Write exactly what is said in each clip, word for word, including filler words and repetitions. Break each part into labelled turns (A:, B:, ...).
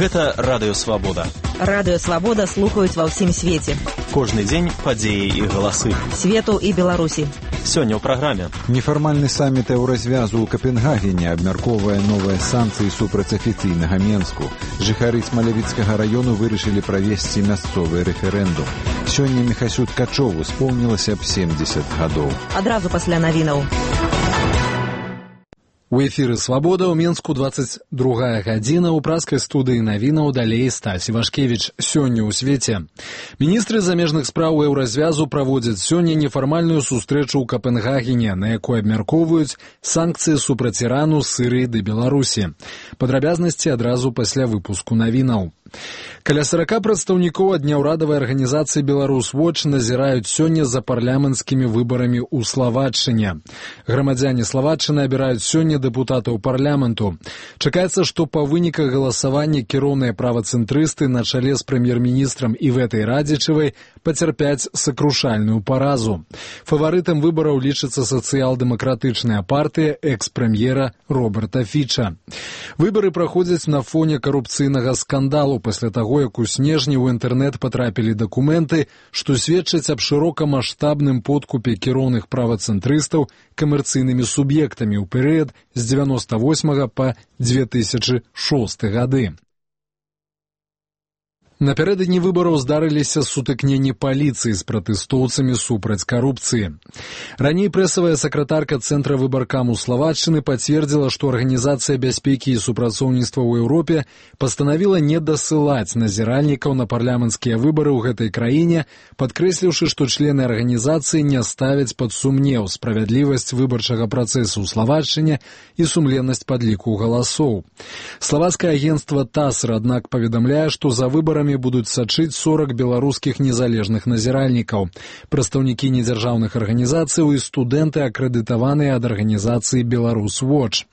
A: Гэта Радыё Свабода.
B: Радыё Свабода слухаюць ва ўсім свеце.
A: Кожны дзень падзеі і галасы.
B: Свету і Беларусі.
A: Сёння ў праграме.
C: Нефармальны саміт еўразвязу ў Капенгагене абмяркоўвае новыя санкцыі супраць афіцыйнага Менску. Жыхары Смалявіцкага раёну вырашылі правесці мясцовы рэферэндум. Сёння Міхасю Ткачову споўнілася б семдзесят гадоў.
B: Адразу пасля навінаў.
D: У эфіры «Свабода» ў Менску двадцать другая гадзіна, у праскай студыі навінаў далей Стась Івашкевіч. Сёння ў свеце. Міністры замежных спраў еўразвязу праводзяць сёння нефармальную сустрэчу ў Капенгагене, на якой абмяркоўваюць санкцыі супраць Ірану, Сірыі ды Беларусі. Падрабязнасці адразу пасля выпуску навінаў. Каля сорока прадстаўнікоў ад няўрадавай арганізацыі «Беларус Watch» назіраюць сёння за парламенцкімі выбарамі ў Славатчыне. Грамадзяне Славатчыны абіраюць сёння дэпутатаў парламенту. Чакаецца, што па выніках галасавання кіроўныя правацэнтрысты на чале з прэм'ер-міністрам Іветай Радзічавай пацярпяць сакрушальную паразу. Фаварытам выбараў лічыцца сацыял-дэмакратычная партыя экс-прэм'ера Роберта Фіча. Выбары праходзяць на фоне карупцыйнага скандалу пасля таго, як у снежні ў інтэрнэт патрапілі дакументы, што сведчаць аб шырокамаштабным подкупе кіроўных правацэнтрыстаў камерцыйнымі суб'ектамі ў перыяд з дзевяноста восьмага па две тысячы шосты гады. Напярэдадні выбараў здарыліся сутыкненні паліцыі з пратэстоўцамі супраць карупцыі. Раней прэсавая сакратарка Цэнтра выбаркаму Славатчыны пацвердзіла, што Арганізацыя бяспекі і супрацоўніцтва ў Еўропе пастанавіла не дасылаць назіральнікаў на парламенцкія выбары ў гэтай краіне, падкрэсліўшы, што члены арганізацыі не ставяць пад сумнеў справядлівасць выбарчага працэсу ў Славатчыне і сумленнасць падліку галасоў. Славацкае агенцтва ТАСС, аднак, паведамляе, што за выбарамі будуць сачыць сорок беларускіх незалежных назіральнікаў, прадстаўнікі недзяржаўных арганізацыяў і студэнты, акрэдытаваныя ад арганізацыі «Беларус Watch».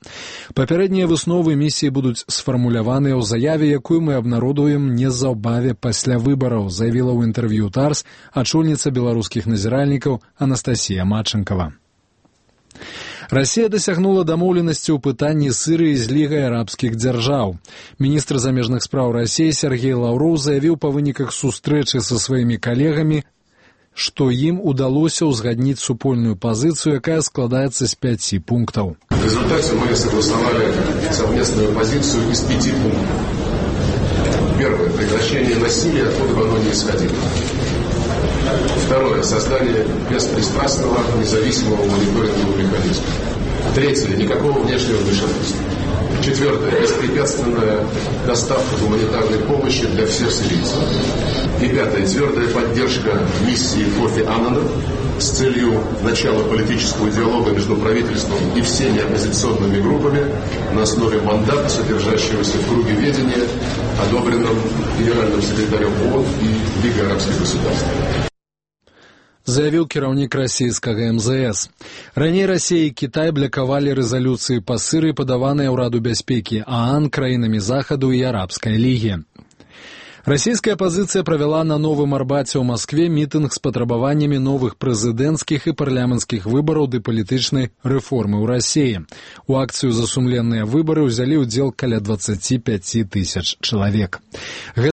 D: Папярэднія высновы місіі будуць сфармуляваныя ў заяве, якую мы абнародуем незаўбаве пасля выбараў, заявіла ў інтэрв'ю ТАРС ачольніца беларускіх назіральнікаў Анастасія Матчынкава. Расія дасягнула дамоўленасці ў пытанні Сірыі з Лігай арабскіх дзяржаў. Міністр замежных спраў Расіі Сергей Лаўроў заявіў па выніках сустрэчы са сваімі калегамі, што ім удалося ўзгадніць супольную пазіцыю, якая складаецца з пяці пунктаў.
E: В результате мы согласовали совместную позицию из пяти пунктов. Первое. Прекращение насилия, откуда бы оно ни исходило. Второе. Создание беспристрастного, независимого мониторингового механизма. Третье. Никакого внешнего вмешательства. Четвертое. Беспрепятственная доставка гуманитарной помощи для всех сирийцев. И пятое. Твердая поддержка миссии Кофи Аннана с целью начала политического диалога между правительством и всеми оппозиционными группами на основе мандата, содержащегося в круге ведения, одобренном генеральным секретарем ООН и Лигой арабских государств.
D: Заявіў кіраўнік расійскага эм зэ эс. Раней Расія і Кітай блакавалі рэзалюцыі па Сірыі, падаваныя ўраду бяспекі ААН, краінамі Захаду і Арабскай лігі. Расійская апазіцыя правяла на Новым Арбаце ў Маскве мітынг з патрабаваннямі новых прэзідэнцкіх і парламенцкіх выбараў ды палітычнай рэформы ў Расіі. У акцыю за сумленныя выбары ўзялі ўдзел каля дваццаць пяць тысяч чалавек.